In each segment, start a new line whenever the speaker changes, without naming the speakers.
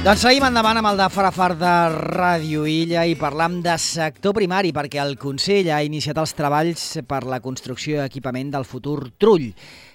Doncs seguim endavant amb el de Farafar de Ràdio Illa i parlam de sector primari perquè el Consell ha iniciat els treballs per la construcció i equipament del futur Trull,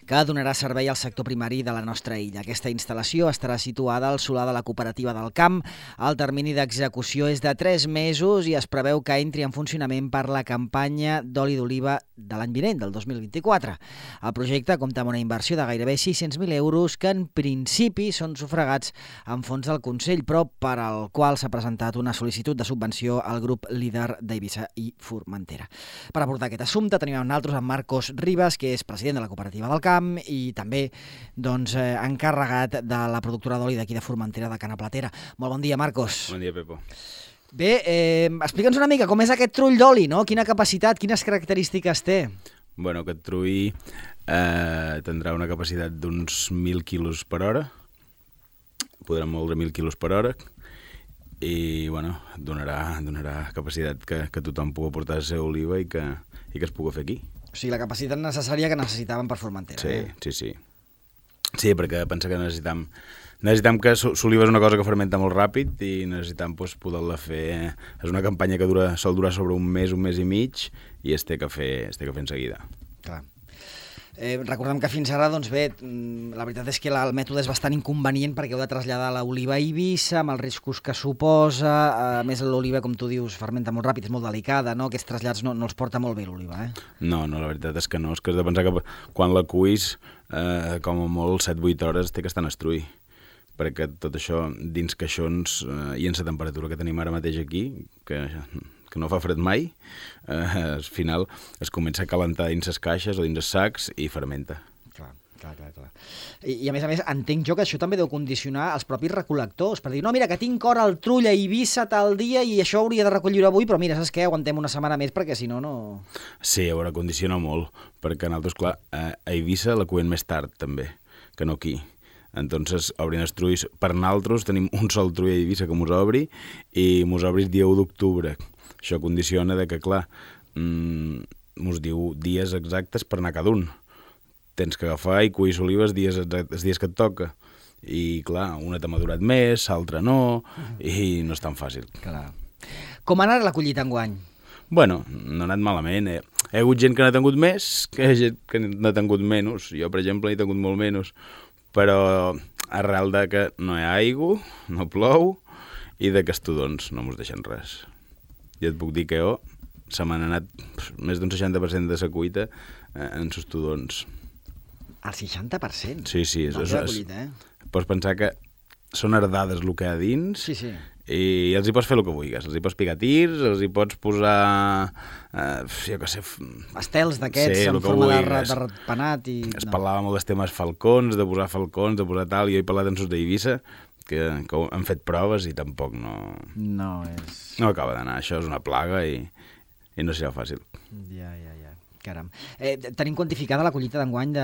que donarà servei al sector primari de la nostra illa. Aquesta instal·lació estarà situada al solar de la cooperativa del Camp. El termini d'execució és de 3 mesos i es preveu que entri en funcionament per la campanya d'oli d'oliva de l'any vinent, del 2024. El projecte compta amb una inversió de gairebé 600.000 euros que en principi són sufragats amb fons del Consell, però per al qual s'ha presentat una sol·licitud de subvenció al grup líder d'Eivissa i Formentera. Per abordar aquest assumpte tenim amb nosaltres en Marcos Ribas, que és president de la cooperativa del Camp i també encarregat de la productora d'oli d'aquí de Formentera, de Cana Platera. Molt bon dia, Marcos.
Bon dia, Pepo.
Bé, explica'ns una mica com és aquest trull d'oli, no? Quina capacitat, quines característiques té?
Bueno, aquest trull tindrà una capacitat d'uns 1.000 quilos per hora. Podrà moldre 1.000 quilos per hora i bueno, donarà capacitat que tothom pugui portar la seva oliva i que es pugui fer aquí.
O sigui, la capacitat necessària que necessitàvem per Formentera.
Sí. Sí, perquè pensa que necessitam que l'oliva és una cosa que fermenta molt ràpid i necessitam poder-la fer. És una campanya que sol durar sobre un mes i mig i es té que fer en seguida.
Clar. Recordem que fins ara, doncs bé, la veritat és que el mètode és bastant inconvenient perquè heu de traslladar l'oliva a Eivissa amb els riscos que suposa. A més, l'oliva, com tu dius, fermenta molt ràpid, és molt delicada, no? Aquests trasllats no els porta molt bé l'oliva, eh?
No, la veritat és que no. És que has de pensar que quan la cuis, com a molt 7-8 hores, té que estar en estrull. Perquè tot això dins caixons i en la temperatura que tenim ara mateix aquí, que no fa fred mai, al final es comença a calentar dins les caixes o dins els sacs i fermenta.
Clar. I a més, entenc jo que això també deu condicionar els propis recol·lectors, per dir, no, mira, que tinc hora al Trull a Eivissa tal dia i això hauria de recollir avui, però mira, saps què? Aguantem una setmana més perquè si no, no...
Sí, a veure, condiciona molt, perquè nosaltres, clar, a Eivissa la cuem més tard, també, que no aquí. Entonces, obrin els trulls. Per nosaltres tenim un sol trull a Eivissa que mos obri i mos obri el dia 1 d'octubre. Això condiciona que, clar, mos diu dies exactes per anar cada un. Tens que agafar i cuir olives els dies que et toca. I, clar, una t'ha madurat més, l'altra no, i no és tan fàcil.
Clar. Com ha anat la collita enguany?
Bueno, no ha anat malament. Hi ha hagut gent que n'ha tingut més, que hi ha gent que n'ha tingut menys. Jo, per exemple, n'he tingut molt menys. Però arrel de que no hi ha aigua, no plou, i de que els tudons no mos deixen res. Jo et puc dir que se m'han anat més d'un 60% de la cuita en els tudons.
El 60%?
Sí.
Collita,
Pots pensar que són herdades el que hi ha dins.
Sí.
I els hi pots fer el que vulguis. Els hi pots picar tirs, els hi pots posar, jo què sé...
Estels d'aquests en forma de ratpenat i...
Es parlava molt dels temes falcons, de posar falcons, de posar tal, i jo he parlat amb els d'Eivissa, que han fet proves i tampoc no... No acaba d'anar, això és una plaga i no serà fàcil.
Ja. Caram. Tenim quantificada la collita d'enguany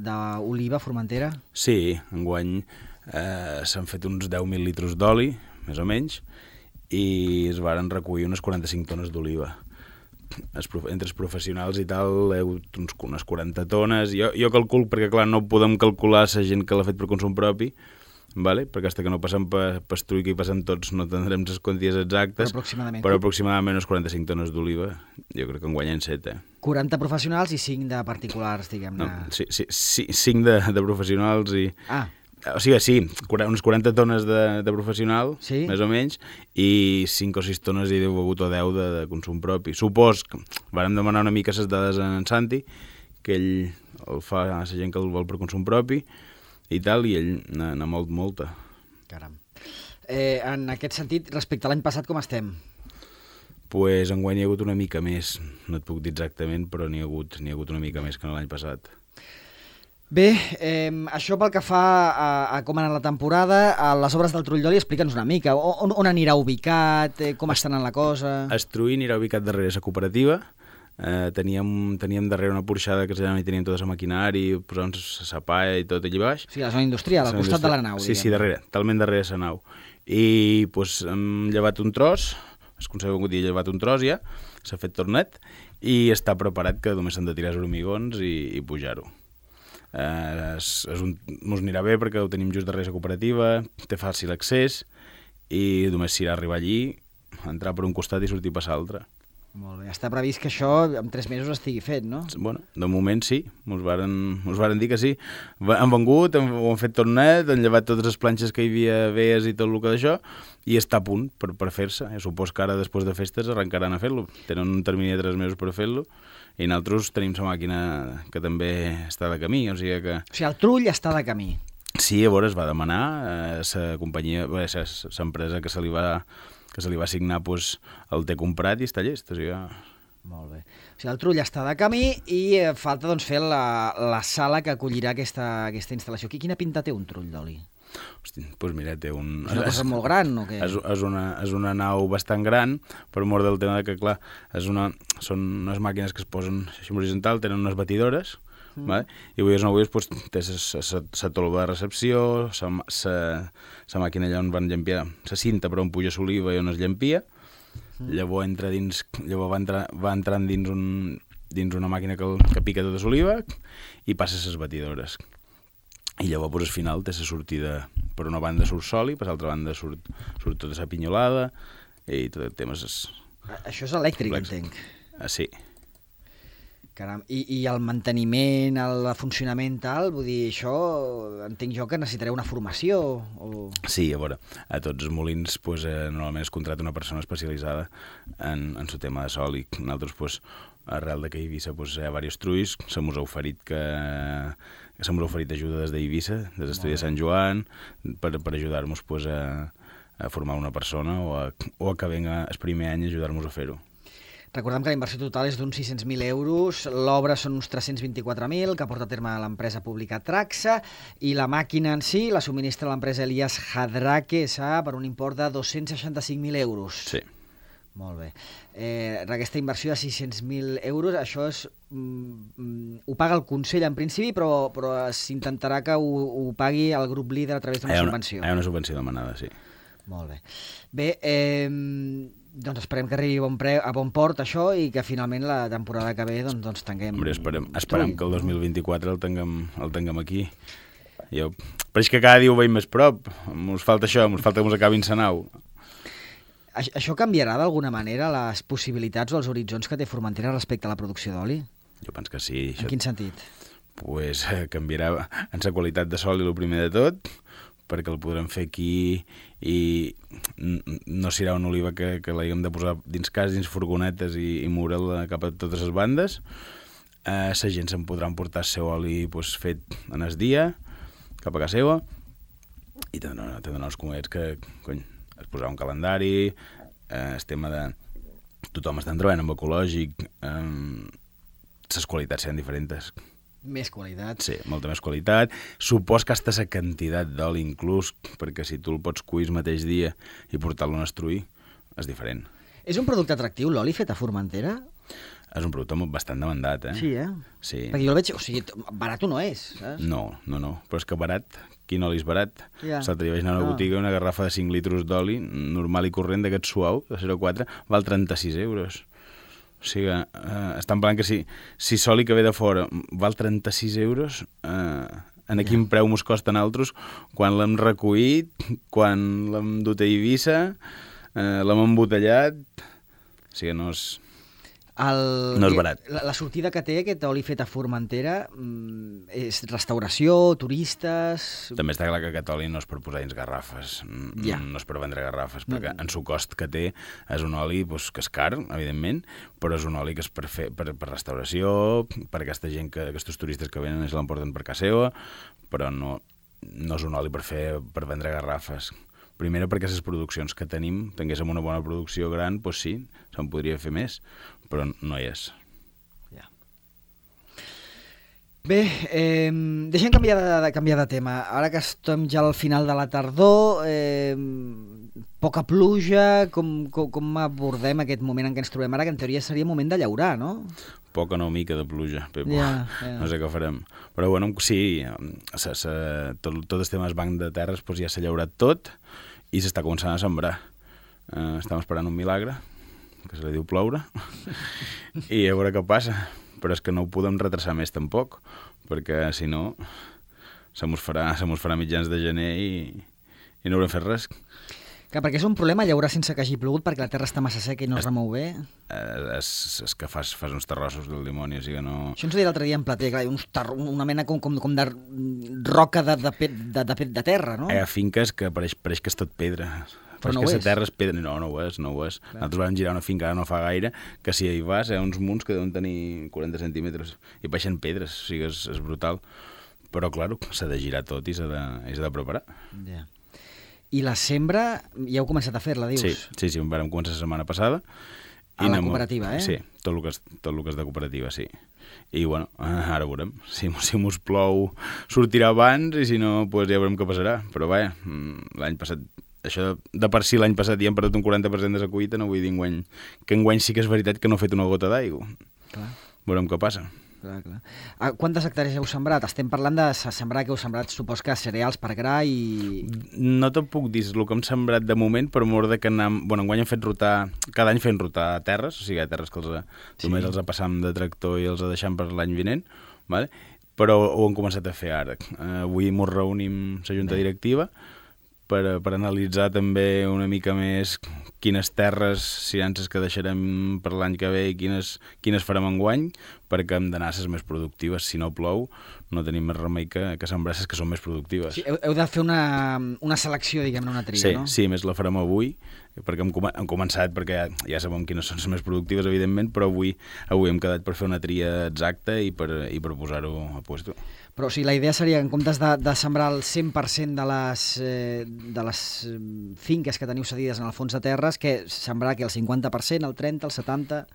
d'oliva a Formentera? Sí,
enguany s'han fet uns 10.000 litres d'oli, més o menys, i es varen recollir unes 45 tones d'oliva. Entre els professionals i tal, unes 40 tones. Jo calculo, perquè clar, no podem calcular la gent que l'ha fet per consum propi, vale? Perquè fins que no passem per estrull que hi passem tots no tindrem les quanties exactes, però aproximadament unes 45 tones d'oliva, jo crec que en guanyen 7.
40 professionals i 5 de particulars, diguem-ne.
No, sí, 5 de professionals i... O sigui, sí, unes 40 tones de professional, sí? Més o menys, i 5 o 6 tones hi deu hagut o 10 de consum propi. Supos que vàrem demanar una mica les dades a en Santi, que ell el fa a la gent que el vol per consum propi, i tal, i ell n'ha molta.
Caram. En aquest sentit, respecte a l'any passat, com estem?
Pues enguany hi ha hagut una mica més, no et puc dir exactament, però n'hi ha hagut una mica més que l'any passat.
Bé, això pel que fa a com ha anat la temporada, a les obres del Trull d'oli, explica'ns una mica, on anirà ubicat, com està anant la cosa...
El Trull anirà ubicat darrere la cooperativa. Teníem darrere una porxada que allà hi teníem tota la maquinari, posàvem la palla i tot allà baix.
Sí, la zona industrial, al costat de la nau.
Sí, darrere, talment darrere la nau. I hem llevat un tros, es conserva un dia llevat un tros ja, s'ha fet tornet, i està preparat que només s'han de tirar els hormigons i pujar-ho. Mos anirà bé perquè ho tenim just darrere la cooperativa, té fàcil accés i només s'irà a arribar allí, entrar per un costat i sortir per l'altre.
Molt bé. Està previst que això en 3 mesos estigui fet, no?
Bueno, de moment sí, mos varen dir que sí. Han vengut, ho han fet tot net, han llevat totes les planxes que hi havia vees i tot el que d'això, i està a punt per fer-se. Supos que ara, després de festes, arrencaran a fer-lo. Tenen un termini de 3 mesos per fer-lo, i nosaltres tenim la màquina que també està de camí, o sigui que...
O sigui, el trull està de camí.
Sí, a veure, es va demanar la companyia, l'empresa que se li va assignar, doncs, el té comprat i està llest. O sigui,
molt bé. O sigui, el trull està de camí i falta doncs, fer la sala que acollirà aquesta instal·lació. Quina pinta té un trull d'oli?
Hosti, doncs mira, té un...
És una cosa molt gran, o què?
És una nau bastant gran, per mort del tema que, clar, són unes màquines que es posen així horitzontal, tenen unes batidores, vale? I avui doncs, té la tolva de recepció, la màquina allà on van llampiar, la cinta per on puja l'oliva i on es llampia, llavors va entrant dins una màquina que pica tota l'oliva i passa les batidores. I llavors al final té la sortida, per una banda surt sòlid, per l'altra banda surt tota la pinyolada i tot el tema és...
Això és elèctric, entenc.
Sí.
Caram, i el manteniment, el funcionament tal, vull dir, això entenc jo que necessitaré una formació o... Sí,
a veure, a tots els molins normalment es contracta una persona especialitzada en el tema de sol i nosaltres, arrel de que a Eivissa hi ha diversos trulls, se mos ha oferit ajuda des d'Eivissa, des de l'estudi de Sant Joan, per ajudar-nos a formar una persona o a que venga el primer any a ajudar-nos a fer-ho.
Recordem que la inversió total és d'uns 600.000 euros, l'obra són uns 324.000, que porta a terme l'empresa pública Traxa, i la màquina en si la subministra l'empresa Elias Hadrake S.A. per un import de 265.000 euros.
Sí.
Molt bé. Aquesta inversió de 600.000 euros, això ho paga el Consell en principi, però s'intentarà que ho pagui el grup líder a través d'una subvenció.
Hi ha una subvenció demanada, sí.
Molt bé. Bé, doncs esperem que arribi a bon port això i que finalment la temporada que ve doncs tanguem...
Hombre, esperem que el 2024 el tinguem aquí. Però és que cada dia ho veiem més prop. Ens falta això, ens falta que ens acabin la nau.
Això canviarà d'alguna manera les possibilitats o els horitzons que té Formentera respecte a la producció d'oli?
Jo penso que sí.
En quin sentit?
Pues canviarà en la qualitat de sol i el primer de tot, perquè el podrem fer aquí i no serà una oliva que l'haguem de posar dins cas, dins furgonetes i moure'l cap a totes les bandes. La gent se'n podrà emportar el seu oli fet en el dia, cap a casa seva, i té uns comets que, es posarà un calendari, el tema de... Tothom està treballant amb ecològic, les qualitats seran diferents.
Més qualitat.
Sí, molta més qualitat. Supos que hasta la quantitat d'oli inclús, perquè si tu el pots cuir el mateix dia i portar-lo a estruir, és diferent.
És un producte atractiu, l'oli fet a Formentera?
És un producte bastant demandat, eh?
Sí,
Sí.
Perquè jo el veig... O sigui, barat no és, saps?
No. Però és que barat, quin oli és barat?
Ja.
L'altre dia vaig anar a una botiga i una garrafa de 5 litres d'oli, normal i corrent, d'aquest suau, de 0,4, val 36 euros. O sigui, estan parlant que si soli que ve de fora val 36 euros, en quin preu mos costa a nosaltres quan l'hem recollit, quan l'hem dut a Eivissa, l'hem embotellat... O sigui, no és barat.
La sortida que té aquest oli fet a Formentera és restauració, turistes...
També està clar que aquest oli no és per posar dins garrafes, no és per vendre garrafes, perquè en su cost que té és un oli que és car, evidentment, però és un oli que és per restauració, per aquesta gent, aquests turistes que venen i se l'emporten per casa seva, però no és un oli per vendre garrafes. Primera, perquè les produccions que tinguéssim una bona producció gran, doncs sí, se'n podria fer més, però no hi és.
Ja. Bé, deixem canviar de tema. Ara que estem ja al final de la tardor, poca pluja, com abordem aquest moment en què ens trobem ara, que en teoria seria moment de llaurar, no?
Poca no mica de pluja, Pepo. No sé què farem. Però bueno, sí, tot el tema del banc de terres ja s'ha llaurat tot i s'està començant a sembrar. Estem esperant un milagre, que se li diu ploure, i a veure què passa. Però és que no ho podem retrasar més tampoc, perquè si no se mos farà mitjans de gener i no haurem fet res.
Clar, perquè és un problema llaurar sense que hagi plogut perquè la terra està massa seca i no es remou bé.
És que fas uns terrossos del dimoni, o sigui que no...
Això ens ho deia l'altre dia en Plater, clar, una mena com de roca de terra, no?
Hi ha finques que pareix que és tot pedra.
Però no ho
és.
és.
La terra és pedra. No ho és. Nosaltres vam girar una finca ara no fa gaire, que si hi vas hi ha uns munts que deuen tenir 40 centímetres i baixen pedres, o sigui, és brutal. Però, clar, s'ha de girar tot i s'ha de preparar.
Ja. I la sembra, ja heu començat a fer-la, dius?
Sí, vam començar la setmana passada.
A la cooperativa,
Sí, tot el que és de cooperativa, sí. I, bueno, ara veurem. Si mos plou, sortirà abans, i si no, doncs ja veurem què passarà. Però, vaja, l'any passat, això de per si l'any passat ja hem perdut un 40% de la collita, no vull dir enguany, que enguany sí que és veritat que no ha fet una gota d'aigua. Veurem què passa.
Clar. Quantes hectàrees heu sembrat? Estem parlant de sembrar que heu sembrat, supos que cereals per gra i...
No te'n puc dir el que hem sembrat de moment, per mort de que enguany hem fet rotar, cada any fem rotar terres, o sigui, hi ha terres que només els passam de tractor i els deixam per l'any vinent, vale? Però ho hem començat a fer ara. Avui ens reunim la junta directiva per analitzar també una mica més quines terres seran les que deixarem per l'any que ve i quines farem enguany, perquè hem d'anar a les més productives. Si no plou, no tenim més remei que sembrar les que són més productives.
Sí, heu de fer una selecció, diguem-ne, una tria, no?
Sí, més la farem avui, perquè hem començat, perquè ja sabem quines són les més productives, evidentment, però avui hem quedat per fer una tria exacta i per posar-ho a puesto.
Però o sigui, la idea seria, en comptes de sembrar el 100% de les finques que teniu cedides en el fons de terres, que sembrar que el 50%, el 30%, el 70%...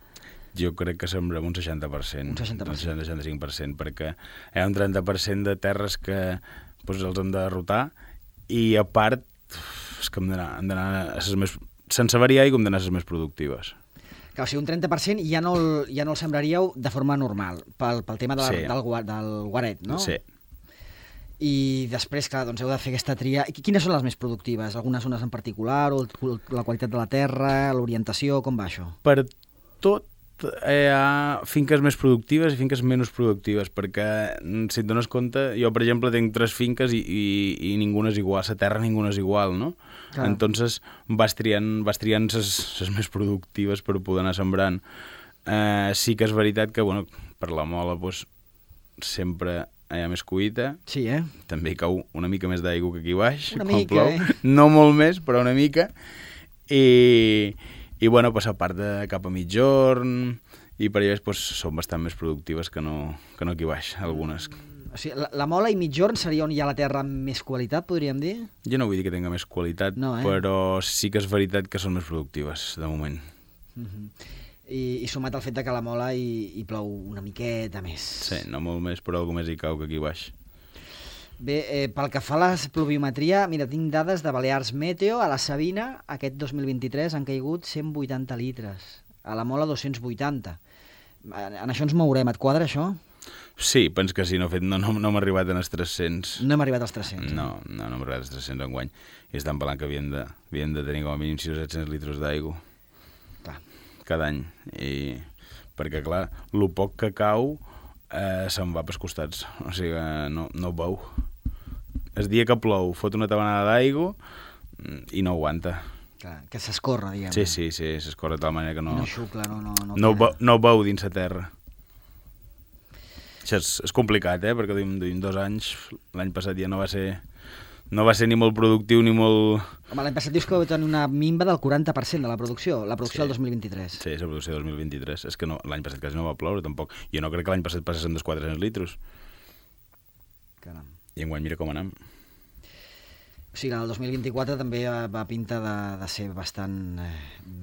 Jo crec que sembrem un 60%.
Un 60%.
Un 65%, perquè hi ha un 30% de terres que els hem de derrotar i, a part, és que hem d'anar a les més... Sense variar i hem d'anar a les més productives.
Clar, o sigui, un 30% ja no el sembraríeu de forma normal, pel tema del guaret, no?
Sí.
I després, clar, doncs heu de fer aquesta tria. Quines són les més productives? Algunes zones en particular, o la qualitat de la terra, l'orientació, com va això?
Per tot hi ha finques més productives i finques menys productives, perquè, si et dones compte, jo, per exemple, tinc 3 finques i ninguna és igual, la terra ninguna és igual, no? Clar. Entonces vas triant les més productives per poder anar sembrant. Sí que és veritat que, bueno, per la mola, sempre hi ha més collita.
Sí,
També hi cau una mica més d'aigua que aquí baix.
Una mica, plou.
No molt més, però una mica. I bueno, a part de cap a mitjorn i per allà són bastant més productives que no aquí baix, algunes.
O sigui, la mola i mitjorn seria on hi ha la terra amb més qualitat, podríem dir?
Jo no vull dir que tinga més qualitat, no, però sí que és veritat que són més productives, de moment.
I sumat al fet que la mola hi plou una miqueta més.
Sí, no molt més, però alguna més hi cau que aquí baix.
Bé, pel que fa a la pluviometria, mira, tinc dades de Balears Meteo. A la Sabina, aquest 2023, han caigut 180 litres. A la Mola, 280. En això ens mourem. Et quadra, això?
Sí, penso que sí. No hem arribat als 300.
No hem arribat als 300.
No hem arribat als 300 enguany. I estan parlant que havien de tenir com a mínim 600 litres d'aigua. Cada any. Perquè, clar, el poc que cau se'n va pels costats. O sigui, no veu. El dia que plou fot una tabanada d'aigua i no aguanta.
Clar, que s'escorre, diguem.
Sí, s'escorre de tal manera que no...
No xucla,
no veu dins la terra. Això és complicat, perquè duim 2 anys, l'any passat ja no va ser ni molt productiu ni molt...
Home, l'any passat dius que vau tenir una minva del 40% de la producció del 2023.
Sí, la producció del 2023. És que l'any passat quasi no va ploure, tampoc. Jo no crec que l'any passat passessin dels 400 litres.
Caram.
I enguany mira com anem.
O sigui, el 2024 també va pinta de ser bastant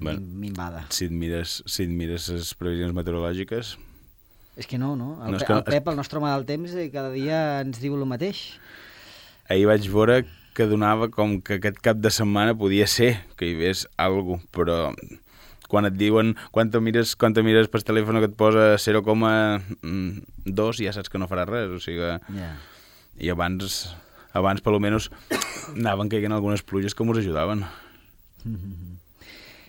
minvada.
Si et mires les previsions meteorològiques...
És que no? El Pep, el nostre home del temps, cada dia ens diu el mateix.
Ahir vaig veure que donava com que aquest cap de setmana podia ser que hi hagués alguna cosa, però quan et diuen, quan te mires per telèfon que et posa 0,2 ja saps que no farà res, o sigui...
Yeah.
I abans per almenys anaven caient algunes pluges que ens ajudaven.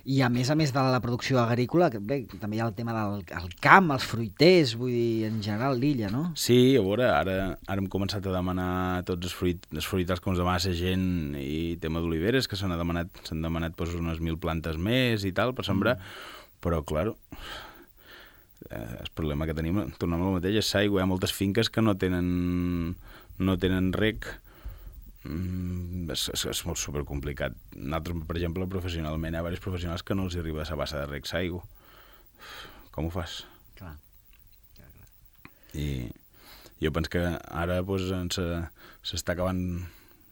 I a més de la producció agrícola, que bé, també hi ha el tema del camp, els fruiters, vull dir, en general l'illa, no?
Sí, a veure, ara hem començat a demanar tots els fruitars que ens demana la gent i tema d'oliveres, que s'han demanat pues, unes 1.000 plantes més i tal per sembrar, però, clar, el problema que tenim, tornem al mateix, és l'aigua. Hi ha moltes finques que no tenen rec. És molt supercomplicat. Nosaltres, per exemple, professionalment, hi ha diversos professionals que no els arriba a la bassa de rec l'aigua. Com ho fas?
Clar.
I jo penso que ara pues, s'està acabant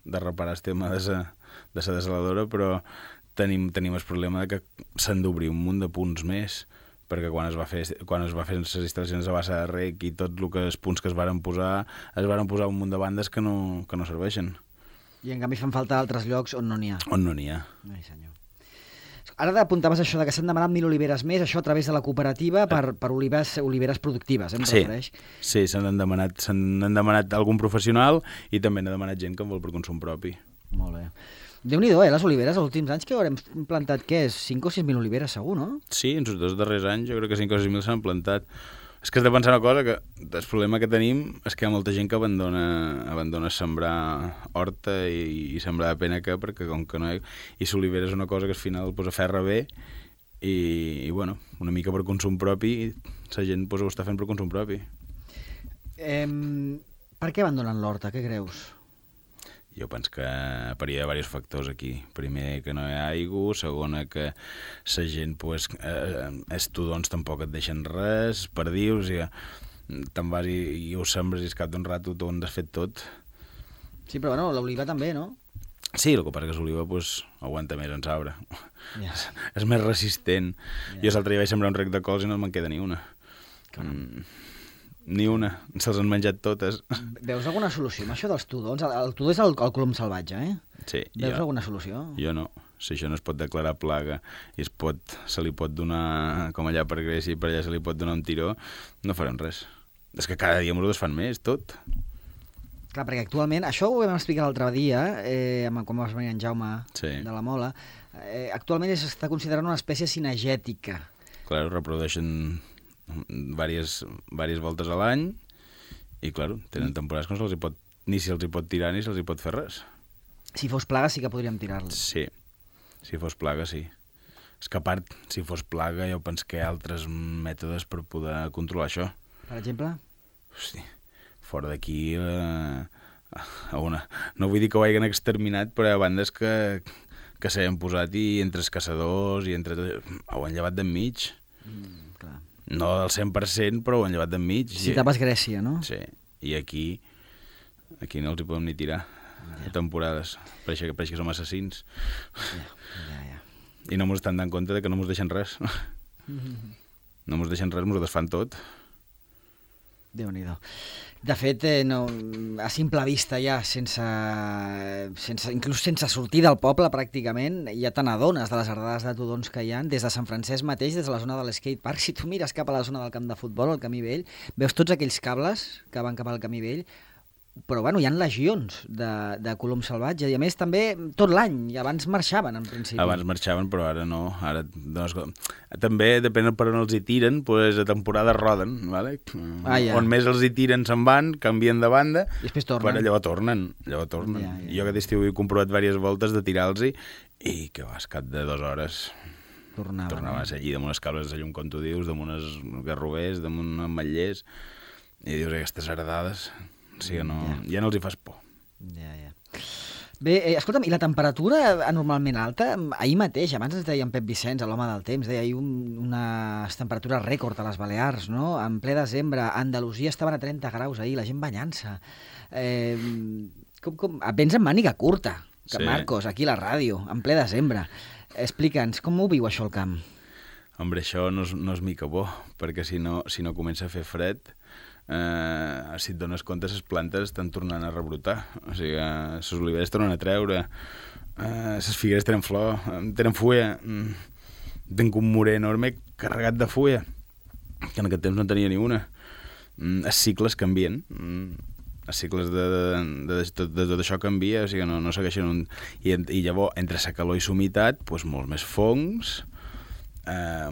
de reparar el tema de la desaladora, però tenim el problema de que s'han d'obrir un munt de punts més, perquè quan es va fer les instal·lacions de bassa de rec i tots els punts que es varen posar un munt de bandes que no serveixen.
I en canvi fan falta altres llocs on no n'hi ha.
On no n'hi ha.
Ai, senyor. Ara apuntaves això de que s'han demanat 1.000 oliveres més, això a través de la cooperativa per oliveres productives, em refereix?
Sí, s'han demanat algun professional i també n'ha demanat gent que en vol per consum propi.
Molt bé. Déu-n'hi-do, les oliveres, els últims anys que haurem plantat, què és? 5 o 6.000 oliveres, segur, no?
Sí, en els 2 darrers anys jo crec que 5 o 6.000 s'han plantat. És que has de pensar una cosa, que el problema que tenim és que hi ha molta gent que abandona sembrar horta i sembrar de pena perquè com que no hi ha... I l'olivera és una cosa que al final pues, aferra bé i bueno, una mica per consum propi, la gent pues, ho està fent per consum propi.
Per què abandonen l'horta, què creus?
Jo penso que hi ha diversos factors aquí. Primer, que no hi ha aigua. Segona, que la gent, pues, els tudons tampoc et deixen res, perdius, i te'n vas i ho sembres i al cap d'un rato t'ho has fet tot.
Sí, però bueno, l'oliva també, no?
Sí, el que passa que l'oliva pues, aguanta més en l'arbre.
Yeah.
És més resistent. Yeah. Jo l'altre dia vaig sembrar un rec de cols i no me'n queda ni una. Ni una, se'ls han menjat totes.
Veus alguna solució amb això dels tudons? El tudó és el colom salvatge, eh?
Sí.
Veus alguna solució?
Jo no. Si això no es pot declarar plaga i se li pot donar, com allà per Grècia i per allà se li pot donar un tiró, no farem res. És que cada dia ens ho desfan més, tot.
Clar, perquè actualment, això ho vam explicar l'altre dia, quan vas venir en Jaume de la Mola, actualment s'està considerant una espècie cinegètica.
Clar, reprodueixen diverses voltes a l'any i, clar, tenen temporades que ni se'ls hi pot tirar ni se'ls hi pot fer res.
Si fos plaga sí que podríem tirar-los.
Sí, si fos plaga sí. És que a part, si fos plaga jo penso que hi ha altres mètodes per poder controlar això.
Per exemple?
Hosti, fora d'aquí no vull dir que ho hagin exterminat, però hi ha bandes que s'han posat i entre els caçadors i entre tot, ho han llevat d'enmig.
Clar.
No del 100%, però ho han llevat d'enmig.
Citaves Grècia, no?
Sí, i aquí no els hi podem ni tirar a temporades. Pareix que som assassins.
Ja.
I no mos estan dant compte que no mos deixen res. No mos deixen res, mos ho desfan tot.
Déu-n'hi-do. De fet, a simple vista ja, inclús sense sortir del poble pràcticament, ja te n'adones de les herdades de tudons que hi ha, des de Sant Francesc mateix, des de la zona de l'skatepark. Si tu mires cap a la zona del camp de futbol, al Camí Vell, veus tots aquells cables que van cap al Camí Vell, però bueno, hi ha legions de colom salvatge, i a més també tot l'any, i abans marxaven en principi.
Abans marxaven, però ara no. També, depèn per on els hi tiren, pues, a temporada roden, ¿vale? On més els hi tiren se'n van, canvien de banda,
i després tornen.
Però llavors tornen. Ja. Jo aquest estiu he comprovat diverses voltes de tirar-los i que vas, cap de 2 hores tornava a ser allí, damunt les cables de llum, com tu dius, damunt els garrovers, damunt ametllers, i dius, aquestes heredades... Sí, ja no els hi fas por.
Ja. Bé, escolta'm, i la temperatura anormalment alta? Ahir mateix, abans ens deia en Pep Vicenç, l'home del temps, deia ahir unes temperatures rècord a les Balears, no? En ple desembre, a Andalusia estaven a 30 graus ahir, la gent banyant-se. Vens amb màniga curta, sí. Marcos, aquí a la ràdio, en ple desembre. Explica'ns, com ho viu això al camp?
Hombre, això no és mica bo, perquè si no comença a fer fred... si et dones compte, les plantes estan tornant a rebrotar, o sigui, les oliveres tornen a treure, les figueres tenen flor, tenen fulla, tinc un murer enorme carregat de fulla, que en aquest temps no tenia ni una. Els cicles canvien, els cicles de tot això canvia, o sigui, no segueixen I llavors, entre la calor i la humitat, doncs molts més fongs,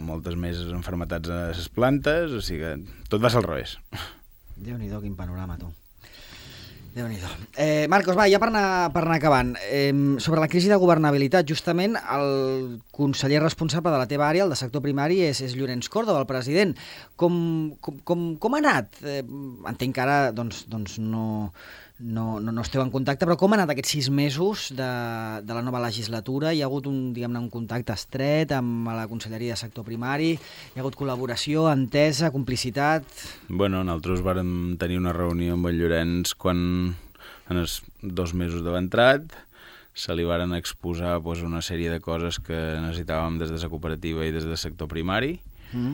moltes més enfermetats a les plantes, o sigui que tot va ser al revés.
Déu-n'hi-do, quin panorama, tu. Déu-n'hi-do. Marcos, va, ja per anar acabant. Sobre la crisi de governabilitat, justament el conseller responsable de la teva àrea, el de sector primari, és Llorenç Córdoba, el president. Com ha anat? Entenc que ara doncs no esteu en contacte, però com ha anat aquests 6 mesos de la nova legislatura? Hi ha hagut un contacte estret amb la Conselleria de Sector Primari? Hi ha hagut col·laboració, entesa, complicitat?
Bueno, nosaltres vàrem tenir una reunió amb el Llorenç quan, en els 2 mesos d'haver entrat, se li varen exposar una sèrie de coses que necessitàvem des de la cooperativa i des del sector primari. Hi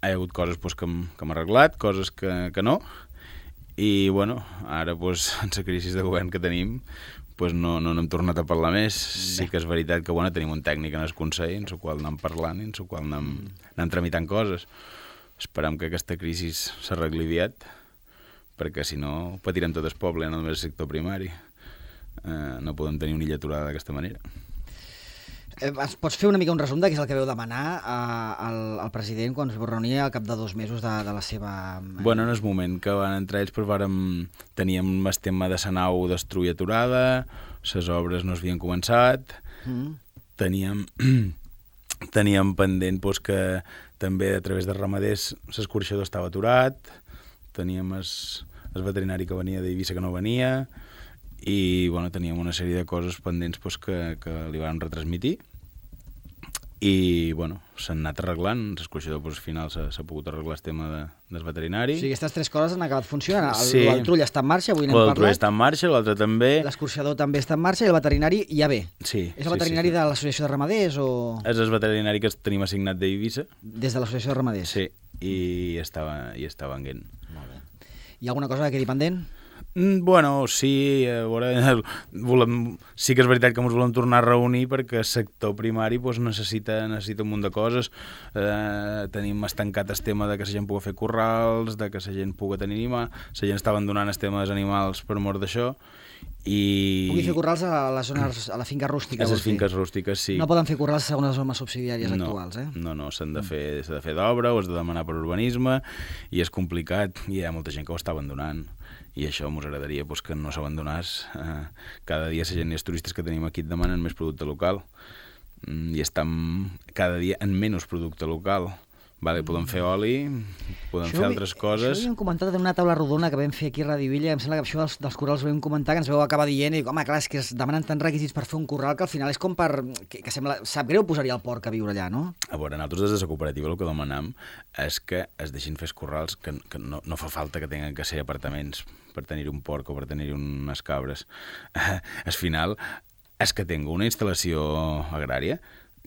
ha hagut coses que hem arreglat, coses que no. I, bueno, ara, en la crisi de govern que tenim, no n'hem tornat a parlar més. Sí que és veritat que tenim un tècnic en el Consell, en el qual anem parlant i en el qual anem tramitant coses. Esperem que aquesta crisi s'arregli aviat, perquè si no patirem tot el poble, no només el sector primari. No podem tenir una illa aturada d'aquesta manera.
Pots fer una mica un resum de què és el que veu demanar al president quan es va reunir al cap de 2 mesos de la seva...
Bueno, en el moment que van entrar ells teníem el tema de la nau destruir aturada, les obres no s'havien començat, teníem pendent que també a través de ramaders l'escorxador estava aturat, teníem el veterinari que venia d'Eivissa que no venia, i teníem una sèrie de coses pendents que li van retransmitir i s'han anat arreglant. L'escorxador al final s'ha pogut arreglar el tema del veterinari.
O sigui, aquestes 3 coses han acabat funcionant. El trull està en marxa, avui n'hem parlat.
El trull està en marxa, l'altre també.
L'escorxador també està en marxa i el veterinari ja ve.
Sí.
És el veterinari de l'Associació de Ramaders o...?
És el veterinari que tenim assignat d'Eivissa.
Des de l'Associació de Ramaders?
Sí, i estava venguent.
Molt bé. Hi ha alguna cosa que quedi pendent?
Bueno, sí, sí que és veritat que ens volem tornar a reunir perquè el sector primari necessita un munt de coses. Tenim estancat el tema de que la gent pugui fer corrals, de que la gent pugui tenir animals, la gent està abandonant el tema dels animals per mort d'això.
Pugui fer corrals a les zones, a la finca rústica.
A les finques rústiques, sí.
No poden fer corrals segons les normes subsidiàries actuals, eh?
No, s'ha de fer d'obra, ho has de demanar per urbanisme, i és complicat, i hi ha molta gent que ho està abandonant. I això ens agradaria que no s'abandonés. Cada dia la gent i els turistes que tenim aquí et demanen més producte local i estem cada dia en menys producte local. Podem fer oli, podem fer altres coses.
Això ho havíem comentat en una taula rodona que vam fer aquí a Ràdio Illa, em sembla que això dels corrals ho vam comentar, que ens vau acabar dient, i home, clar, és que es demanen tants requisits per fer un corral que al final és com per... que sembla, sap greu posaria el porc a viure allà, no?
A veure, nosaltres des de la cooperativa el que demanam és que es deixin fer corrals que no fa falta que tinguin que ser apartaments per tenir un porc o per tenir unes cabres. Al final, és que tingui una instal·lació agrària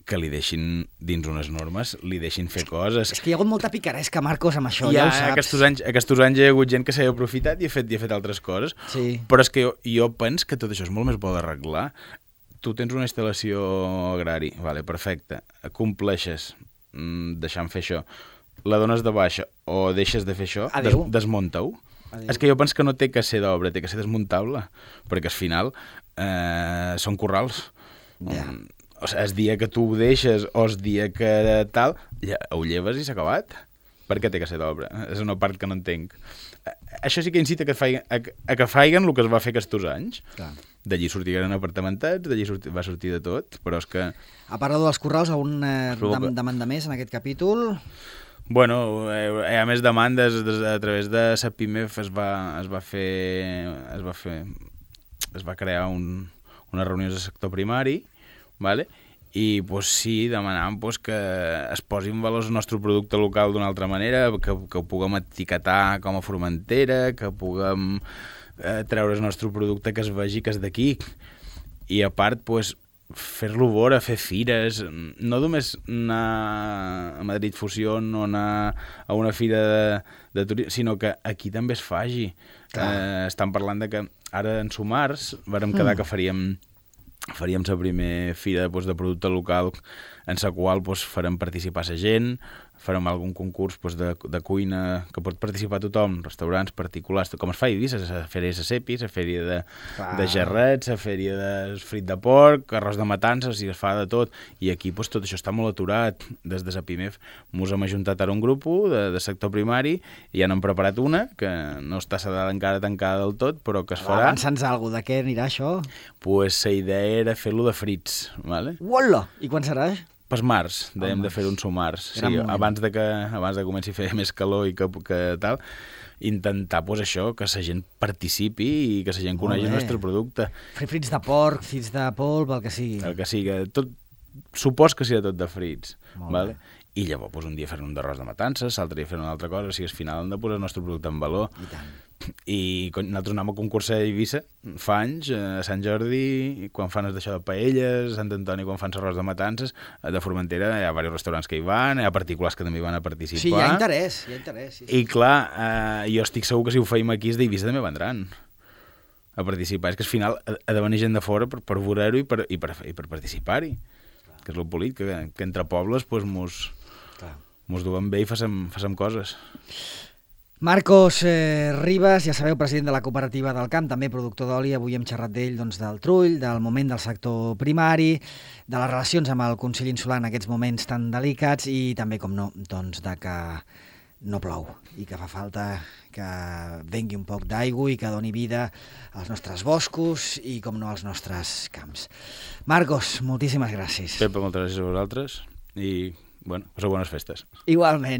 que li deixin dins unes normes, li deixin fer coses.
És que hi ha hagut molta picaresca, Marcos, amb això, ja ho saps.
Aquests anys hi ha hagut gent que s'ha aprofitat i ha fet altres coses,
sí.
Però és que jo penso que tot això és molt més bo d'arreglar. Tu tens una instal·lació agrària, perfecte, compleixes deixant fer això, la dones de baixa o deixes de fer això, desmunta-ho. És que jo penso que no té que ser d'obra, té que ser desmuntable, perquè al final són corrals.
Ja.
O sigui, el dia que tu ho deixes o el dia que tal, ho lleves i s'ha acabat. Per què té que ser d'obra? És una part que no entenc. Això sí que incita que faiguen el que es va fer aquests anys.
Clar.
D'allí sortiren apartamentats, d'allí va sortir de tot, però és que...
A part dels corrals, algun demanda més en aquest capítol?
Bueno, hi ha més demandes. A través de la PIMEF es va crear unes reunions de sector primari, vale? I sí, demanàvem que es posi en valor el nostre producte local d'una altra manera, que ho puguem etiquetar com a Formentera, que puguem treure el nostre producte que es vegi que és d'aquí. I a part, fer-lo vora, fer fires, no només anar a Madrid Fusion o anar a una fira de turisme, sinó que aquí també es faci. Estan parlant de que ara en Sumars vàrem quedar que faríem faríem la primera fira de producte local en la qual farem participar la gent, farem algun concurs de cuina que pot participar tothom, restaurants particulars, com es fa a Eivissa, la fèria de Sepis, la fèria de gerrets, la fèria de frit de porc, arròs de matances, i es fa de tot. I aquí tot això està molt aturat. Des de la PIMEF mos hem ajuntat ara un grup de sector primari i ja n'hem preparat una, que no està encara tancada del tot, però que es farà.
Avança'ns alguna cosa, de què anirà això?
Pues la idea era fer-lo de frits, ¿vale?
Uola! I quan serà?
Pas març, dèiem de fer un març. Sí, abans de comenci a fer més calor i que tal, intentar això, que la gent participi i que la gent conegui el nostre producte.
Fer frits de porc, frits de polp, el que sigui.
El que sigui. Supos que sigui tot de frits. Vale? I llavors un dia fer un d'arròs de matances, l'altre dia fer una altra cosa, o sigui, al final hem de posar el nostre producte en valor.
I tant.
I nosaltres anem a concursar a Eivissa fa anys, a Sant Jordi, quan fan d'això de paelles, a Sant Antoni quan fan arròs de matances, de Formentera hi ha diversos restaurants que hi van, hi ha particulars que també hi van a participar.
Sí, hi ha interès. Sí.
I clar, jo estic segur que si ho feim aquí, els d'Eivissa també vendran a participar. És que al final ha de venir gent de fora per veure-ho i per participar-hi, que és el polit, que entre pobles mos duem bé i facem coses.
Marcos Ribas, ja sabeu, president de la Cooperativa del Camp, també productor d'oli. Avui hem xerrat d'ell, del trull, del moment del sector primari, de les relacions amb el Consell Insular en aquests moments tan delicats i també, com no, de que no plou i que fa falta que vengui un poc d'aigua i que doni vida als nostres boscos i, com no, als nostres camps. Marcos, moltíssimes gràcies.
Pepa, moltes gràcies a vosaltres i, passeu bones festes.
Igualment.